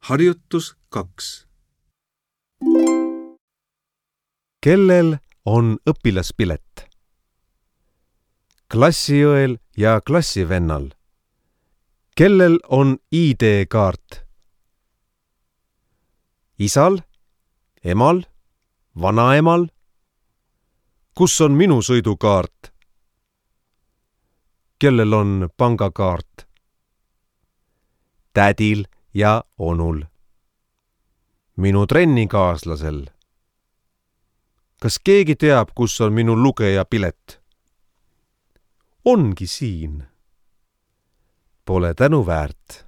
Harjutus 2. Kellel on õpilaspilet? Klassiõel ja klassivennal. Kellel on ID-kaart? Isal, emal, vanaemal? Kus on minu sõidukaart? Kellel on pangakaart? Tädil ja onul. Minu trennikaaslasel. Kas keegi teab, kus on minu lugejapilet? Ongi siin. Pole tänuväärt.